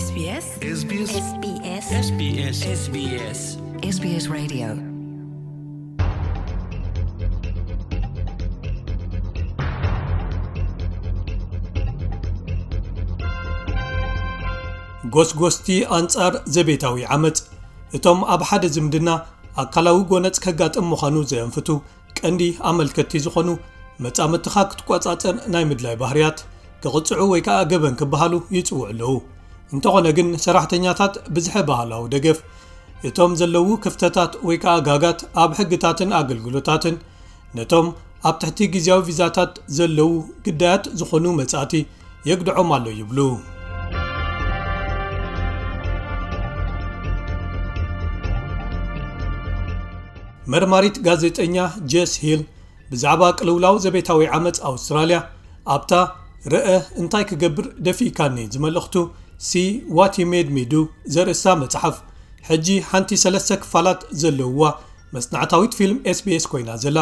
SBS SBS SBS SBS SBS SBS Radio. ጎስጎስቲ ኣንጻር ዘቤታዊ ዓመጽ። እቶም ኣብ ሓደ ዝምድና ኣካላዊ ጎነጽ ከጋጥም ምዃኑ ዘንፍቱ ቀንዲ ኣመልከትቲ ዝኾኑ፣ መጻምድትኻ ክትቆጻጸር ናይ ምድላይ ባህርያት፣ ክቕጽዑ ወይ ከኣ ገበን ክበሃሉ ይጽውዑ ኣለዉ። እንተኾነ ግን፣ ሰራሕተኛታት ብዝሐ ባህላዊ ደገፍ፣ እቶም ዘለዉ ክፍተታት ወይ ከኣ ጋጋት ኣብ ሕግታትን ኣገልግሎታትን፣ ነቶም ኣብ ትሕቲ ግዝያዊ ቪዛታት ዘለዉ ግዳያት ዝኾኑ መጻእቲ የግድዖም ኣሎ ይብሉ። መርማሪት ጋዜጠኛ ጀስ ሂል ብዛዕባ ቅልውላው ዘቤታዊ ዓመጽ ኣውስትራልያ ኣብታ "ርአ እንታይ ክገብር ደፊእካኒ" ዝመልእኽቱ "ሲ ዋት ዩ ሜድ ሚ ዱ" ዘርእስታ መጽሓፍ፣ ሕጂ ሓንቲ ሰለስተ ክፋላት ዘለውዋ መጽናዕታዊት ፊልም SBS ኮይና ዘላ፣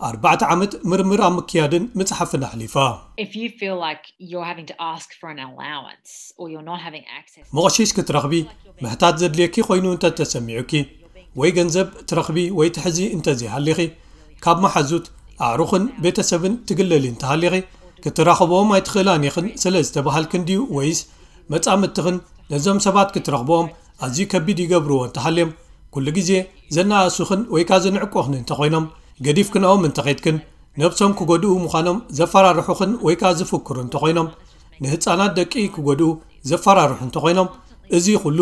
ኣርባዕተ ዓመት ምርምር ኣብ ምክያድን ምጽሓፍን ኣሕሊፋ። If you feel like you're having to ask for an allowance or you're not having access መቕሺሽ ክትረኽቢ ምሕታት ዘድልየኪ ኮይኑ እንተተሰሚዑኪ፣ ወይ ገንዘብ ትረኽቢ ወይ ትሕዚ እንተዘይሃሊኺ፣ ካብ መሓዙት፣ ኣዕሩኽን ቤተሰብን ትግለሊ እንተሃሊኺ፣ ክትራኸብኦም ኣይትኽእላን ኢኽን ስለ ዝተባሃልክን ድዩ፣ ወይስ መጻምድትኽን ነዞም ሰባት ክትረኽብኦም ኣዝዩ ከቢድ ይገብርዎ እንተሃልዮም፣ ኩሉ ግዜ ዘነኣእሱኽን ወይ ከኣ ዘንዕቁኽን እንተኾይኖም፣ ገዲፍክንኦም እንተኸድክን፣ ነብሶም ክጎድኡ ምዃኖም ዘፈራርሑኽን ወይ ከኣ ዝፍክሩ እንተኾይኖም፣ ንህጻናት ደቂ ክጎድኡ ዘፈራርሑ እንተኾይኖም፣ እዚ ኩሉ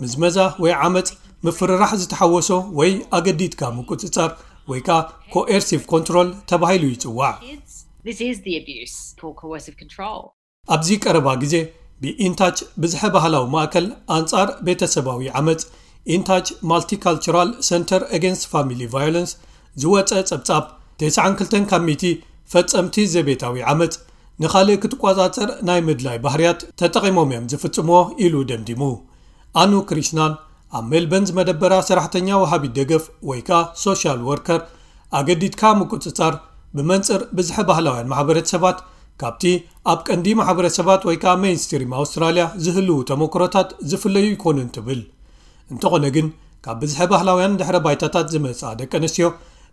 ምዝመዛ ወይ ዓመጽ፣ ምፍርራሕ ዝተሓወሶ ወይ ኣገዲድካ ምቁጽጻር ወይ ከኣ ኮኤርሲቭ ኮንትሮል ተባሂሉ ይጽዋዕ። This is the abuse for coercive control. ኣብዚ ቀረባ ግዜ ብኢንታች ብዝሐ ባህላዊ ማእከል ኣንጻር ቤተሰባዊ ዓመጽ፣ ኢንታች ማልቲካልቸራል ሰንተር ኣጌንስት ፋሚሊ ቫዮለንስ ዝወጸ ጸብጻብ፣ ተስዓን ክልተን ካብ ሚእቲ ፈጸምቲ ዘቤታዊ ዓመጽ ንኻልእ ክትቆጻጸር ናይ ምድላይ ባህርያት ተጠቒሞም እዮም ዝፍጽምዎ ኢሉ ደምዲሙ። ኣኑ ክሪሽናን ኣብ ሜልበርን ዝመደበራ ሰራሕተኛ ወሃቢት ደገፍ ወይ ከኣ ሶሻል ወርከር፣ ኣገዲድካ ምቁጽጻር ብመንጽር ብዝሐ ባህላውያን ማሕበረተሰባት ካብቲ ኣብ ቀንዲ ማሕበረሰባት ወይ ከኣ ሜይንስትሪም ኣውስትራልያ ዝህልዉ ተመክሮታት ዝፍለዩ ኣይኮኑን ትብል። እንተኾነ ግን፣ ካብ ብዝሐ ባህላውያን ድሕረ ባይታታት ዝመጻ ደቂ ኣንስትዮ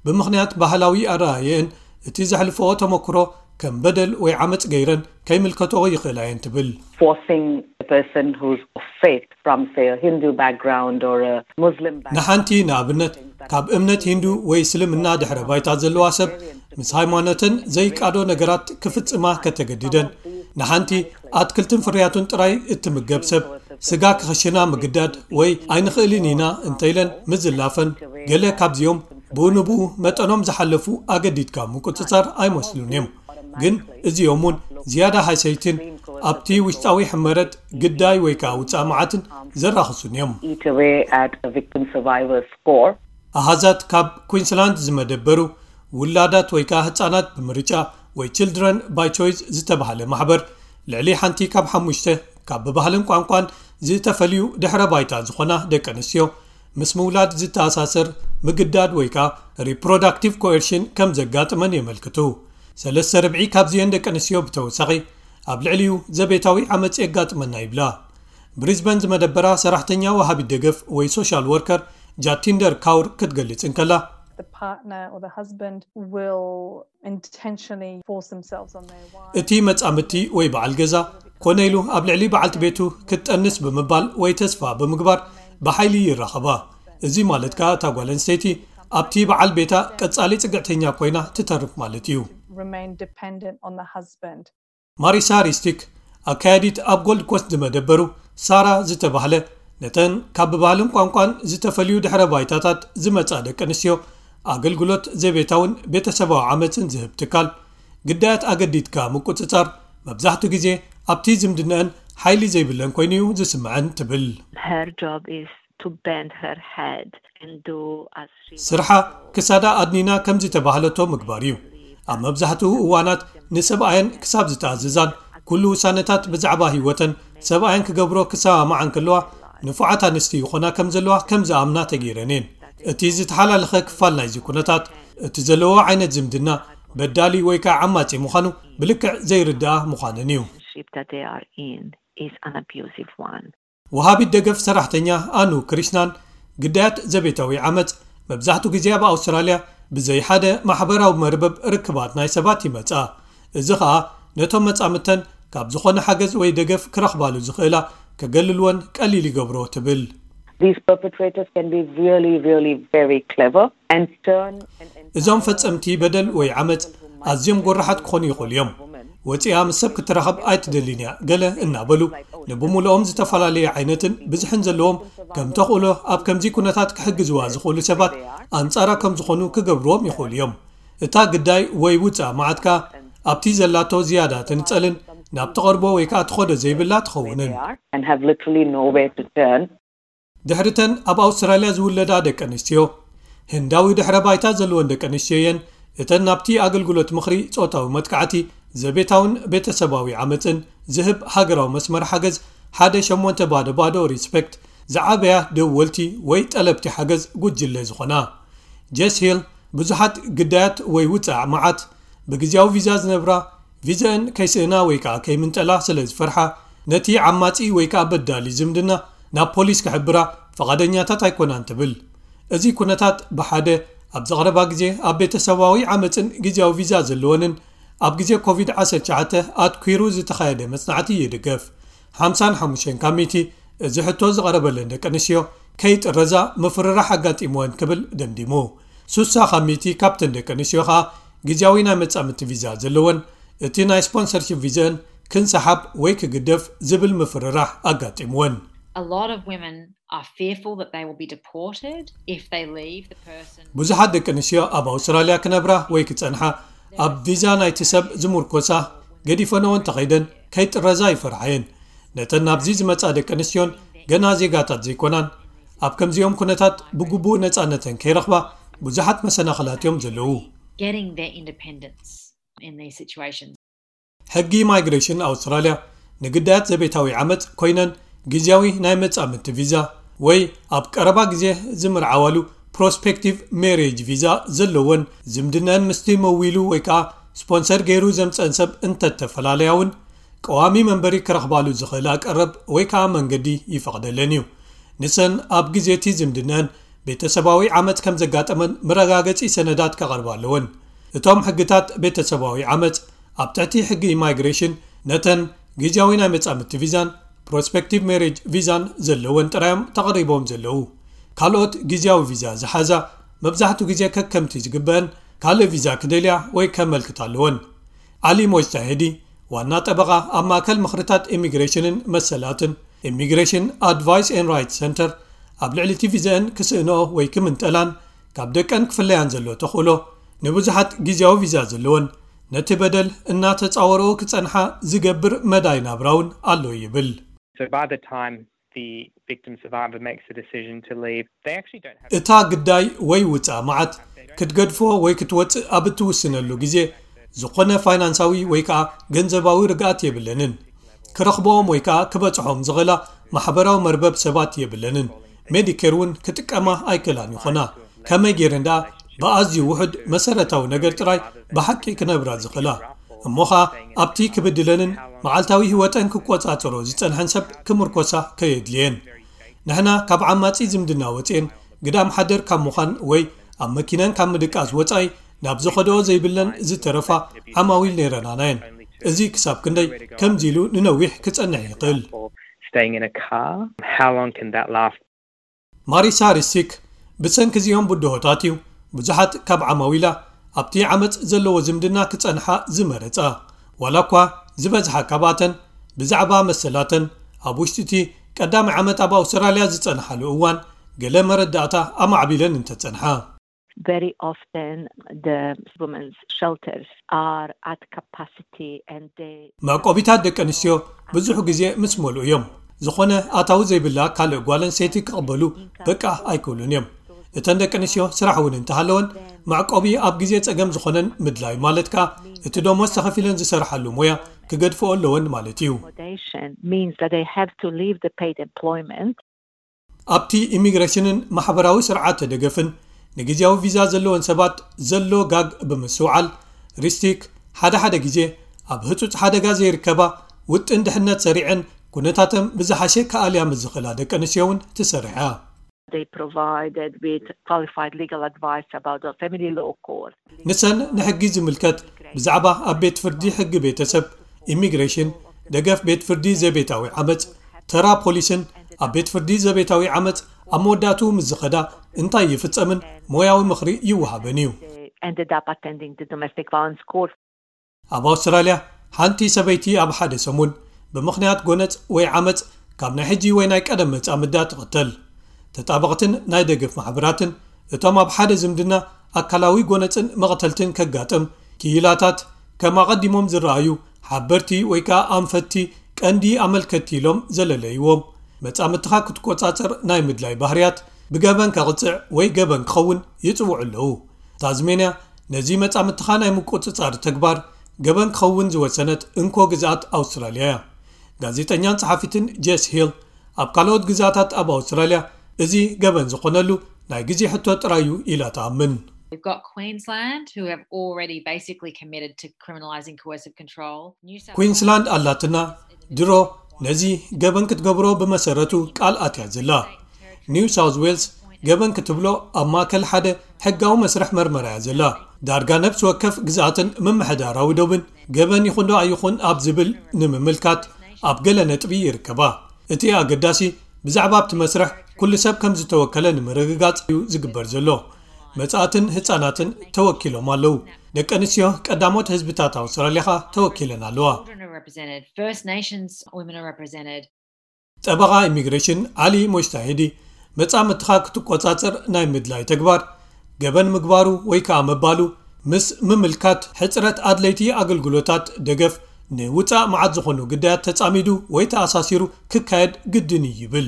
ብምኽንያት ባህላዊ ኣረኣየን እቲ ዘሕልፈኦ ተመክሮ ከም በደል ወይ ዓመጽ ገይረን ከይምልከትኦ ይኽእላ እየን ትብል። Forcing a person who's of faith from, say, a Hindu background or a Muslim background. ንሓንቲ ንኣብነት ካብ እምነት ሂንዱ ወይ እስልምና ድሕረ ባይታ ዘለዋ ሰብ ምስ ሃይማኖተን ዘይቃዶ ነገራት ክፍጽማ ከተገድደን፣ ንሓንቲ ኣትክልትን ፍርያቱን ጥራይ እትምገብ ሰብ ስጋ ክኽሽና ምግዳድ ወይ ኣይንኽእልን ኢና እንተኢለን ምዝላፈን፣ ገለ ካብዚኦም ብኡ ንብኡ መጠኖም ዝሓለፉ ኣገዲድካ ምቁጽጻር ኣይመስሉን እዮም። ግን እዚኦም እውን ዝያዳ ሃሰይትን ኣብቲ ውሽጣዊ ሕመረት ግዳይ ወይ ከኣ ውጻእ መዓትን ዘራኽሱን እዮም። Eat away at a victim survivor score. ኣሃዛት ካብ ኩንስላንድ ዝመደበሩ ውላዳት ወይ ከኣ ህጻናት ብምርጫ ወይ ችልድረን ባይ ቾይስ ዝተባህለ ማሕበር፣ ልዕሊ ሓንቲ ካብ ሓሙሽተ ካብ ብባህልን ቋንቋን ዝተፈልዩ ድሕረ ባይታ ዝኾና ደቂ ኣንስትዮ ምስ ምውላድ ዝተኣሳሰር ምግዳድ ወይ ከኣ ሪፕሮዳክቲቭ ኮኤርሽን ከም ዘጋጥመን የመልክቱ። ሰለስተ ርብዒ ካብዚአን ደቂ ኣንስትዮ ብተወሳኺ ኣብ ልዕሊኡ ዘቤታዊ ዓመጽ የጋጥመና ይብላ። ብሪዝበን ዝመደበራ ሰራሕተኛ ወሃቢት ደገፍ ወይ ሶሻል ወርከር ጃቲንደር ካውር ክትገልጽ እንከላ፣ The partner or the husband will intentionally force themselves on their wife. እቲ መጻምድቲ ወይ በዓል ገዛ ኮነ ኢሉ ኣብ ልዕሊ በዓልቲ ቤቱ ክትጠንስ ብምባል ወይ ተስፋ ብምግባር ብሓይሊ ይራኸባ። እዚ ማለት ከኣ እታ ጓል ኣንስተይቲ ኣብቲ በዓል ቤታ ቀጻሊ ጽግዕተኛ ኮይና ትተርፍ ማለት እዩ። Remain dependent on the husband. ማሪሳ ሪስቲክ፣ ኣካያዲት ኣብ ጎልድ ኮስት ዝመደበሩ ሳራ ዝተባህለ፣ ነተን ካብ ብባህልን ቋንቋን ዝተፈልዩ ድሕረ ባይታታት ዝመጻ ደቂ ኣንስትዮ ኣገልግሎት ዘቤታውን ቤተሰባዊ ዓመጽን ዝህብ ትካል፣ ግዳያት ኣገዲድካ ምቁጽጻር መብዛሕትኡ ግዜ ኣብቲ ዝምድናአን ሓይሊ ዘይብለን ኮይኑ እዩ ዝስምዐን ትብል። Her job is to bend her head and do as she ስርሓ ክሳዳ ኣድኒና ከም ዝተባህለቶ ምግባር እዩ። ኣብ መብዛሕትኡ እዋናት ንሰብኣየን ክሳብ ዝተኣዘዛን ኩሉ ውሳነታት ብዛዕባ ህይወተን ሰብኣየን ክገብሮ ክሰማማዓ እንከለዋ፣ ንፉዓት ኣንስቲ ይኾና ከም ዘለዋ ከም ዝኣምና ተገይረን እየን። እቲ ዝተሓላለኸ ክፋል ናይዚ ኩነታት፣ እቲ ዘለዎ ዓይነት ዝምድና በዳሊ ወይ ከዓ ዓማጺ ምዃኑ ብልክዕ ዘይርድኣ ምዃነን እዩ። Relationship that they are in is an abusive one. ወሃቢት ደገፍ ሰራሕተኛ ኣኑ ክሪሽናን፣ ግዳያት ዘቤታዊ ዓመጽ መብዛሕቱ ግዜ ኣብ ኣውስትራልያ ብዘይ ሓደ ማሕበራዊ መርበብ ርክባት ናይ ሰባት ይመጻ። እዚ ኸኣ ነቶም መጻምተን ካብ ዝኾነ ሓገዝ ወይ ደገፍ ክረኽባሉ ዝኽእላ ከገልልወን ቀሊል ይገብሮ ትብል። These perpetrators can be really, really very clever and turn an entire እዞም ፈጸምቲ በደል ወይ ዓመጽ ኣዝዮም ጎራሓት ክኾኑ ይኽእሉ እዮም። ወጺኣ ምስ ሰብ ክትራኸብ ኣይትደልን እያ ገለ እናበሉ ንብምልኦም ዝተፈላለየ ዓይነትን ብዝሕን ዘለዎም ከም ተኽእሎ ኣብ ከምዚ ኩነታት ክሕግዝዋ ዝኽእሉ ሰባት ኣንጻራ ከም ዝኾኑ ክገብርዎም ይኽእሉ እዮም። እታ ግዳይ ወይ ውጻእ መዓት ከኣ ኣብቲ ዘላቶ ዝያዳ ትንጸልን ናብ ትቐርቦ ወይ ከኣ ትኸዶ ዘይብላ ትኸውንን። and have literally nowhere to turn. ድሕሪተን ኣብ ኣውስትራልያ ዝውለዳ ደቂ ኣንስትዮ ህንዳዊ ድሕረ ባይታ ዘለወን ደቂ ኣንስትዮ እየን። እተን ናብቲ ኣገልግሎት ምኽሪ ጾታዊ መጥቃዕቲ ዘቤታውን ቤተሰባዊ ዓመፅን ዝህብ ሃገራዊ መስመር ሓገዝ ሓደ ሸሞንተ ባዶ ባዶ ሪስፔክት ዝዓበያ ደወልቲ ወይ ጠለብቲ ሓገዝ ጉጅለ ዝኾና። ጀስ ሂል ብዙሓት ግዳያት ወይ ውፃእ መዓት ብግዜያዊ ቪዛ ዝነብራ ቪዛአን ከይስእና ወይ ከዓ ከይምንጠላ ስለ ዝፈርሓ ነቲ ዓማፂ ወይ ከዓ በዳሊ ዝምድና ናብ ፖሊስ ክሕብራ ፈቓደኛታት ኣይኮናን ትብል። እዚ ኩነታት ብሓደ ኣብ ዘቕረባ ግዜ ኣብ ቤተሰባዊ ዓመፅን ግዜያዊ ቪዛ ዘለወንን ኣብ ግዜ ኮቪድ ዓሰርተ ትሽዓተ ኣትኲሩ ዝተኻየደ መጽናዕቲ ይድገፍ። ሓምሳን ሓሙሽተን ካብ ሚእቲ እዚ ሕቶ ዝቐረበለን ደቂ ኣንስትዮ ከይጥረዛ ምፍርራሕ ኣጋጢምወን ክብል ደምዲሙ። ሱሳ ካብ ሚእቲ ካብተን ደቂ ኣንስትዮ ኸኣ ግዜያዊ ናይ መጻምድቲ ቪዛ ዘለወን እቲ ናይ ስፖንሰርሺፕ ቪዛን ክንሰሓብ ወይ ክግደፍ ዝብል ምፍርራሕ ኣጋጢምወን። A lot of women are fearful that they will be deported if they leave the person. ብዙሓት ደቂ ኣንስትዮ ኣብ ኣውስትራልያ ክነብራ ወይ ክጸንሓ ኣብ ቪዛ ናይቲ ሰብ ዝምርኮሳ ገዲፈንኦ እንተኸይደን ከይጥረዛ ይፈርሓየን። ነተን ናብዚ ዝመጻ ደቂ ኣንስትዮን ገና ዜጋታት ዘይኮናን ኣብ ከምዚኦም ኩነታት ብግቡእ ነጻነተን ከይረኽባ ብዙሓት መሰናኽላት እዮም ዘለዉ። Getting their independence in these situations. ሕጊ ማይግሬሽን ኣውስትራልያ ንግዳያት ዘቤታዊ ዓመጽ ኮይነን ግዜያዊ ናይ መጻምድቲ ቪዛ ወይ ኣብ ቀረባ ግዜ ዝምርዓዋሉ ፕሮስፔክቲቭ ሜሬጅ ቪዛ ዘለወን ዝምድነን ምስቲ መዊሉ ወይ ከዓ ስፖንሰር ገይሩ ዘምፀን ሰብ እንተተፈላለያ እውን ቀዋሚ መንበሪ ክረኽባሉ ዝኽእላ ቀረብ ወይ ከዓ መንገዲ ይፈቕደለን እዩ። ንሰን ኣብ ግዜ እቲ ዝምድነን ቤተሰባዊ ዓመጽ ከም ዘጋጠመን መረጋገጺ ሰነዳት ከቐርባ ኣለወን። እቶም ሕግታት ቤተሰባዊ ዓመጽ ኣብ ትሕቲ ሕጊ ኢማይግሬሽን ነተን ግዜያዊ ናይ መጻምድቲ ቪዛን ፕሮስፔክቲቭ ሜሬጅ ቪዛን ዘለወን ጥራዮም ተቐሪቦም ዘለዉ። ካልኦት ግዜያዊ ቪዛ ዝሓዛ መብዛሕትኡ ግዜ ከከምቲ ዝግበአን ካልእ ቪዛ ክደልያ ወይ ከመልክታ ኣለወን። ዓሊ ሞጅታሄዲ ዋና ጠበቓ ኣብ ማእከል ምኽርታት ኢሚግሬሽንን መሰላትን ኢሚግሬሽን ኣድቫይስ ኤን ራይት ሰንተር ኣብ ልዕሊ እቲ ቪዛአን ክስእንኦ ወይ ክምንጠላን ካብ ደቀን ክፍለያን ዘሎ ተኽእሎ ንብዙሓት ግዜያዊ ቪዛ ዘለወን ነቲ በደል እናተጻወረኦ ክጸንሓ ዝገብር መዳይ ናብራ እውን ኣሎ ይብል። So by the time the victim survivor makes the decision to leave, they actually don't have እታ ግዳይ ወይ ውጻእ መዓት ክትገድፎ ወይ ክትወጽእ ኣብ እትውስነሉ ግዜ ዝኾነ ፋይናንሳዊ ወይ ከዓ ገንዘባዊ ርግኣት የብለንን። ክረኽቦም ወይ ከዓ ክበጽሖም ዝኽእላ ማሕበራዊ መርበብ ሰባት የብለንን። ሜዲኬር እውን ክጥቀማ ኣይክእላን ይኾና። ከመይ ገይረን ደኣ ብኣዝዩ ውሑድ መሰረታዊ ነገር ጥራይ ብሓቂ ክነብራ ዝኽእላ? እሞ ኸኣ ኣብቲ ክብድለንን መዓልታዊ ህይወተን ክቆጻጸሮ ዝጸንሐን ሰብ ክምርኮሳ ከየድልየን። ንሕና ካብ ዓማጺ ዝምድና ወጺኤን ግዳም ሓደር ካብ ምዃን ወይ ኣብ መኪነን ካብ ምድቃስ ወጻኢ ናብ ዝኸድኦ ዘይብለን ዝተረፋ ዓማዊል ነይረናናየን። እዚ ክሳብ ክንደይ ከምዚ ኢሉ ንነዊሕ ክጸንሕ ይኽእል። Or staying in a car, how long can that last? ማሪሳ ሪስቲክ ብሰንኪ እዚኦም ብድሆታት እዩ ብዙሓት ካብ ዓማዊላ ኣብቲ ዓመጽ ዘለዎ ዝምድና ክጸንሓ ዝመረጻ። ዋላ እኳ ዝበዝሓ ካብኣተን ብዛዕባ መሰላተን ኣብ ውሽጢ እቲ ቀዳማይ ዓመት ኣብ ኣውስትራልያ ዝጸንሓሉ እዋን ገለ መረዳእታ ኣማዕቢለን እንተጸንሓ። Very often the women's shelters are at capacity and they መዕቆቢታት ደቂ ኣንስትዮ ብዙሕ ግዜ ምስ መልኡ እዮም። ዝኾነ ኣታዊ ዘይብላ ካልእ ጓል ኣንስተይቲ ክቕበሉ በቃ ኣይክእሉን እዮም። እተን ደቂ ኣንስትዮ ስራሕ እውን እንተሃለወን መዕቆቢ ኣብ ግዜ ጸገም ዝኾነን ምድላይ ማለት ከኣ እቲ ደሞዝ ተኸፊለን ዝሰርሓሉ ሞያ ክገድፍኦ ኣለወን ማለት እዩ። Accommodation means that they have to leave the paid employment. ኣብቲ ኢሚግሬሽንን ማሕበራዊ ስርዓተ ደገፍን ንግዜያዊ ቪዛ ዘለወን ሰባት ዘሎ ጋግ ብምስትውዓል ሪስቲክ ሓደ ሓደ ግዜ ኣብ ህጹጽ ሓደጋ ዘይርከባ ውጥን ድሕነት ሰሪዐን ኩነታተን ብዝሓሸ ክኣልያ ምስ ዝኽእላ ደቂ ኣንስትዮ እውን ትሰርሕ እያ። They provided with qualified legal advice about the family law court. ንሰን ንሕጊ ዝምልከት ብዛዕባ ኣብ ቤት ፍርዲ ሕጊ ቤተሰብ፣ ኢሚግሬሽን፣ ደገፍ ቤት ፍርዲ ዘቤታዊ ዓመፅ፣ ተራ ፖሊስን ኣብ ቤት ፍርዲ ዘቤታዊ ዓመፅ ኣብ መወዳእትኡ ምስ ዝኸዳ እንታይ ይፍፀምን ሞያዊ ምኽሪ ይወሃበን እዩ። They ended up attending the domestic violence court. ኣብ ኣውስትራልያ ሓንቲ ሰበይቲ ኣብ ሓደ ሰሙን ብምኽንያት ጎነፅ ወይ ዓመፅ ካብ ናይ ሕጂ ወይ ናይ ቀደም መጻምዳ ትቕተል። ተጣበቕትን ናይ ደገፍ ማሕበራትን እቶም ኣብ ሓደ ዝምድና ኣካላዊ ጎነፅን መቕተልትን ከጋጥም ክኢላታት ከም ኣቐዲሞም ዝረኣዩ ሓበርቲ ወይ ከዓ ኣንፈትቲ ቀንዲ ኣመልከትቲ ኢሎም ዘለለይዎም መጻምድትኻ ክትቆጻጸር ናይ ምድላይ ባህርያት ብገበን ከቕጽዕ ወይ ገበን ክኸውን ይጽውዑ ኣለዉ። ታዝሜንያ ነዚ መጻምድትኻ ናይ ምቁጽጻር ተግባር ገበን ክኸውን ዝወሰነት እንኮ ግዝኣት ኣውስትራልያ እያ። ጋዜጠኛን ጸሓፊትን ጄስ ሂል ኣብ ካልኦት ግዝኣታት ኣብ ኣውስትራልያ እዚ ገበን ዝኾነሉ ናይ ግዜ ሕቶ ጥራይ እዩ ኢላ ትኣምን። We've got Queensland, who have already basically committed to criminalising coercive control. New South ኩዊንስላንድ ኣላትና ድሮ ነዚ ገበን ክትገብሮ ብመሰረቱ ቃል ኣትያ ዘላ። ኒው ሳውዝ ዌልስ ገበን ክትብሎ ኣብ ማእከል ሓደ ሕጋዊ መስርሕ መርመራ እያ ዘላ። ዳርጋ ነፍሲ ወከፍ ግዝኣትን ምምሕዳራዊ ዶብን ገበን ይኹን ዶ ኣይኹን ኣብ ዝብል ንምምልካት ኣብ ገለ ነጥቢ ይርከባ። እቲ ኣገዳሲ ብዛዕባ ኣብቲ መስርሕ ኩሉ ሰብ ከም ዝተወከለ ንምርግጋጽ እዩ ዝግበር ዘሎ። መጻእትን ህጻናትን ተወኪሎም ኣለዉ። ደቂ ኣንስትዮ ቀዳሞት ህዝብታት ኣውስትራልያ ኸኣ ተወኪለን ኣለዋ። Children are represented, First Nations women are represented. ጠበቓ ኢሚግሬሽን ዓሊ ሞጅታሂዲ መጻምድትኻ ክትቆጻጸር ናይ ምድላይ ተግባር ገበን ምግባሩ ወይ ከኣ ምባሉ ምስ ምምልካት ሕጽረት ኣድለይቲ ኣገልግሎታት ደገፍ ንውጻእ መዓት ዝኾኑ ግዳያት ተጻሚዱ ወይ ተኣሳሲሩ ክካየድ ግድን እዩ ይብል።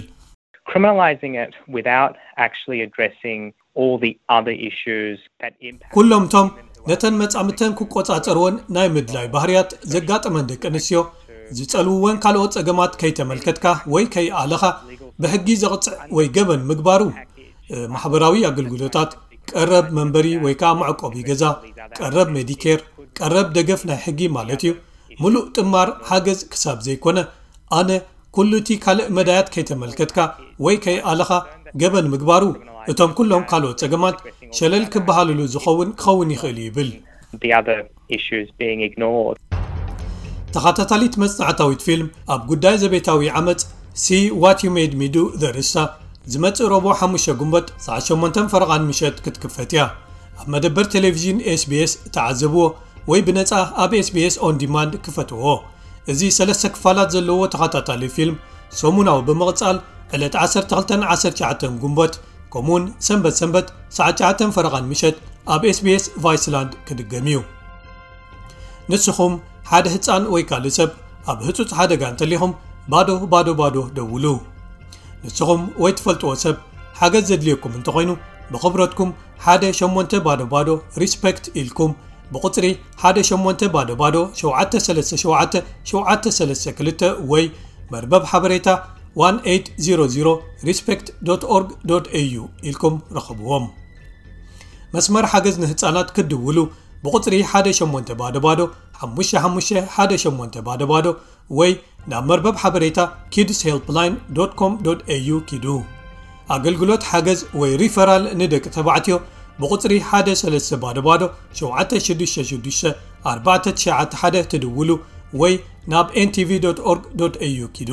Criminalising it without actually addressing all the other issues that impact. ኩሎም እቶም ነተን መጻምድተን ክቆጻጸርወን ናይ ምድላይ ባህርያት ዘጋጠመን ደቂ ኣንስትዮ ዝጸልውወን ካልኦት ጸገማት ከይተመልከትካ ወይ ከይኣለኻ ብሕጊ ዘቕጽዕ ወይ ገበን ምግባሩ ማሕበራዊ ኣገልግሎታት፣ ቀረብ መንበሪ ወይ ከዓ መዕቆቢ ገዛ፣ ቀረብ ሜዲኬር፣ ቀረብ ደገፍ ናይ ሕጊ ማለት እዩ። ምሉእ ጥማር ሓገዝ ክሳብ ዘይኮነ ኣነ ኩሉ እቲ ካልእ መዳያት ከይተመልከትካ ወይ ከይኣለኻ ገበን ምግባሩ እቶም ኩሎም ካልኦት ጸገማት ሸለል ክበሃልሉ ዝኸውን ክኸውን ይኽእል እዩ ይብል። The other issues being ignored. ተኸታታሊት መጽናዕታዊት ፊልም ኣብ ጉዳይ ዘቤታዊ ዓመጽ See What You Made Me Do ዘርእስታ ዝመጽእ ረቡዕ ሓሙሽተ ጉንበት ሰዓት ሸሞንተ ፈረቓን ምሸት ክትክፈት እያ። ኣብ መደበር ቴሌቪዥን ኤስቢኤስ ተዓዘብዎ ወይ ብነጻ ኣብ ኤስቢኤስ ኦን ዲማንድ ክፈትዎ። እዚ ሰለስተ ክፋላት ዘለዎ ተኸታታሊ ፊልም ሰሙናዊ ብምቕጻል ዕለት ዓሰርተ ክልተን ዓሰርተ ትሽዓተን ጉንበት ከምኡውን ሰንበት ሰንበት ሰዓት ትሽዓተ ፈረቓን ምሸት ኣብ ኤስቢኤስ ቫይስላንድ ክድገም እዩ። ንስኹም ሓደ ህፃን ወይ ካልእ ሰብ ኣብ ህፁፅ ሓደጋ እንተሊኹም ባዶ ባዶ ባዶ ደውሉ። ንስኹም ወይ ትፈልጥዎ ሰብ ሓገዝ ዘድልየኩም እንተኾይኑ ብኽብረትኩም ሓደ ሸሞንተ ባዶ ባዶ ሪስፔክት ኢልኩም ብቁፅሪ ሓደ ሸሞንተ ባዶ ባዶ ሸውዓተ ሰለስተ ሸውዓተ ሸውዓተ ሰለስተ ክልተ ወይ መርበብ ሓበሬታ one eight zero zero respect dot org dot au ኢልኩም ረኸብዎም። መስመር ሓገዝ ንህፃናት ክትድውሉ ብቁፅሪ ሓደ ሸሞንተ ባዶ ባዶ ሓሙሽተ ሓሙሽተ ሓደ ሸሞንተ ባዶ ባዶ ወይ ናብ መርበብ ሓበሬታ kids helpline dot com dot au ኪዱ። ኣገልግሎት ሓገዝ ወይ ሪፈራል ንደቂ ተባዕትዮ ብቁፅሪ ሓደ ሰለስተ ባዶ ባዶ ሸውዓተ ሽዱሽተ ሽዱሽተ ኣርባዕተ ትሽዓተ ሓደ ትድውሉ ወይ ናብ ኤንቲቪ ዶት ኦርግ ዶት ኤዩ ኪዱ።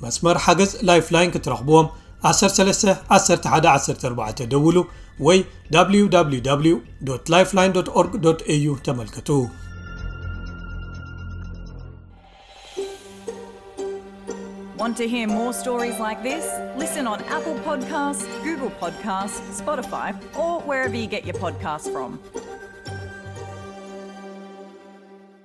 መስመር ሓገዝ ላይፍላይን ክትረኽብዎም ዓሰርተ ሰለስተ ዓሰርተ ሓደ ዓሰርተ ኣርባዕተ ደውሉ ወይ www lifeline.org.au ተመልከቱ። Want to hear more stories like this? Listen on Apple Podcasts, Google Podcasts, Spotify, or wherever you get your podcasts from.